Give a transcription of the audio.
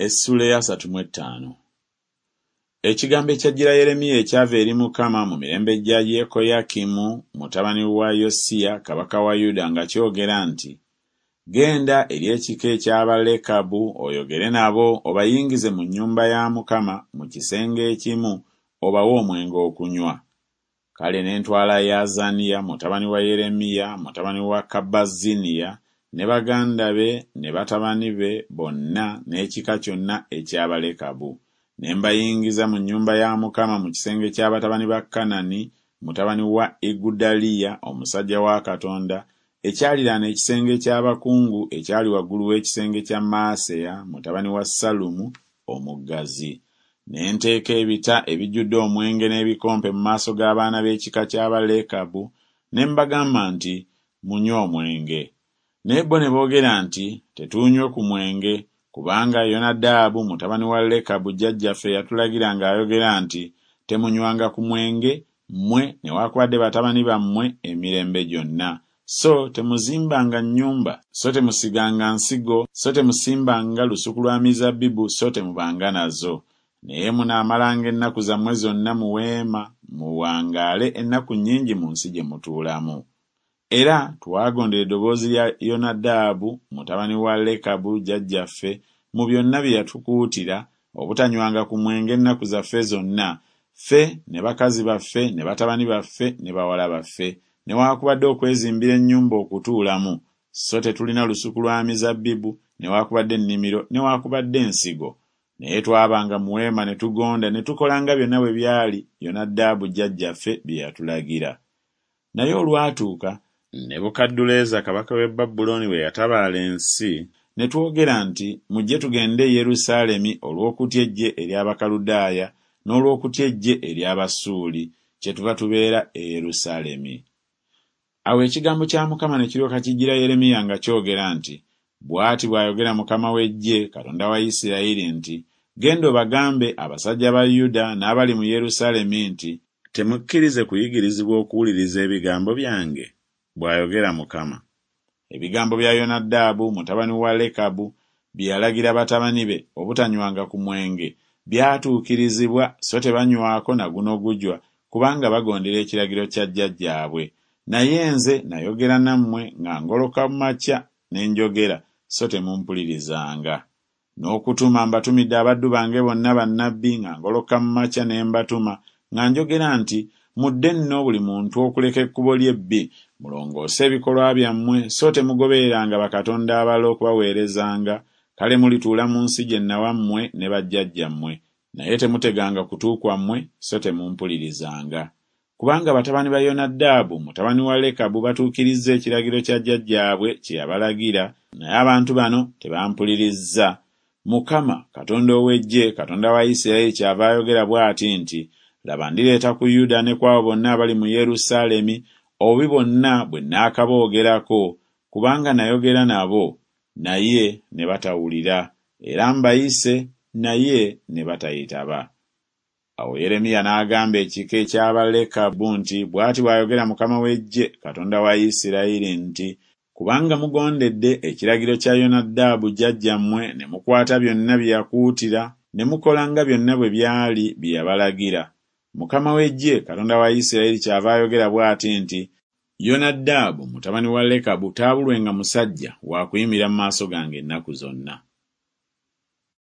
Essuula ey'asatu mu ettaano. Ekigambo ekyajjira Yeremiya ekyava eri Mukama mu mirembe gya Yekoyakimu mutabani wa Yosiya kabaka wa Yuda nga kyogera nti, Genda eri ekika eky'Abalekabu oyogere nabo obayingize mu nnyumba ya Mukama mu kisenge ekimu obawe omwenge okunywa. Kale ne ntwala Yaazaniya mutabani wa Yeremiya mutabani wa Kabazziniya ne baganda be ne batabani be bonna n'ekika kyonna eky'Abalekabu, ne mbayingiza mu nnyumba ya Mukama mu kisenge kya batabani ba Kanani mutabani wa Igudaliya omusajja wa Katonda ekyaliraana ekisenge ky'abakungu ekyali waggulu w'ekisenge kya Maaseya mutabani wa Sallumu omuggazi. Ne nteeka ebita ebijjudde omwenge n'ebikompe mu maaso g'abaana b'ekika ky'Abalekabu, ne mbagamba nti, Munywe omwenge. Naye bo ne boogera nti, Tetuunywe ku mwenge, kubanga Yonadaabu mutabani wa Lekabu jjajjaffe yatulagira ng'ayogera nti, Temunywanga ku mwenge, mmwe newakubadde batabani bammwe emirembe gyonna, so temuzimbanga nnyumba, so temusiganga nsigo, so temusimbanga lusuku lwa mizabbibu, so temubanga nazo. Naye munaamalanga ennaku zammwe zonna mu weema, muwangaale ennaku nnyingi mu nsi gye mutuulamu. Era twagondera eddoboozi lya Yonadaabu mutabani wa Lekabu jjajjaffe mu byonna bye yatukuutira obutanywanga ku mwenge ennaku zaffe zonna, ffe ne bakazi baffe ne batabani baffe ne bawala baffe, newaakubadde okwezimbira ennyumba okutuulamu, so tetulina lusuku lwa mizabbibu newaakubadde ennimiro newaakubadde ensigo. Naye twabanga mu weema ne tugonda ne tukola nga byonna bwe byali Yonadaabu jjajjaffe bye yatulagira. Naye olwatuuka, Nebukadduleeza kabaka w'e Babulooni bwe yatabaala ensi, ne twogera nti Mujje tugende e Yerusaalemi olw'okutya eggye ery'Abakaludaaya n'olw'okutya eggye ery'Abasuuli, kyetuva tubeera e Yerusaalemi. Awo ekigambo kya Mukama ne kiryoka kijjira Yeremiya nga kyogera nti Bw'ati bw'ayogera Mukama w'eggye, Katonda wa Isirayiri nti Genda obagambe abasajja ba Yuda n'abali mu Yerusaalemi nti, Temukkirize kuyigirizibwa okuwuliriza ebigambo byange? bw'ayogera Mukama. Ebigambo bya Yonadaabu mutabani wa Lekabu bye yalagira batabani be obutanywanga ku mwenge byatuukirizibwa so tebanywako na guno gujwa kubanga bagondera ekiragiro kya jjajjaabwe. Naye nze nayogera nammwe nga ngoloka makya ne njogera so temumpulirizanga. N'okutuma mbatumidde abaddu bange bonna bannabbi nga ngoloka mu makya ne mbatuma, nga njogera nti Mudde nno buli muntu okuleka ekkubo lye ebbi, mulongoose ebikolwa byammwe, so temugobereranga bakatonda abalala okubaweerezanga, kale mulituula mu nsi gye nnawa mmwe ne bajjajjammwe. Naye temuteganga kutu kwammwe, so temumpulirizanga. Kubanga batabani ba Yonadaabu mutabani wa Lekabu batuukirizza ekiragiro kya jjajjaabwe kye yabalagira, naye abantu bano tebampulirizza. Mukama, Katonda ow'Eggye, Katonda wa Isirayiri kyava ayogera bw'ati nti, Laba ndireeta ku Yuda ne ku abo bonna abali mu Yerusaalemi obubi bwonna bwe nnaakaboogerako, kubanga nayogera nabo, naye ne batawulira, era mbayise, naye ne batayitaba. Awo Yeremiya n'agamba ekika eky'Abalekabu nti, Bw'ati bw'ayogera Mukama w'Eggye, Katonda wa Isirayiri nti, Kubanga mugondedde ekiragiro kya Yonadaabu jjajjammwe ne mukwata byonna bye yakuutira ne mukola nga byonna bwe byali bye yabalagira, Mukama w'Eggye, Katonda wa Isirayiri kyava ayogera bw'ati nti, Yonadaabu mutabani wa Lekabu taabulwenga musajja wa kuyimirira mu maaso gange ennaku zonna.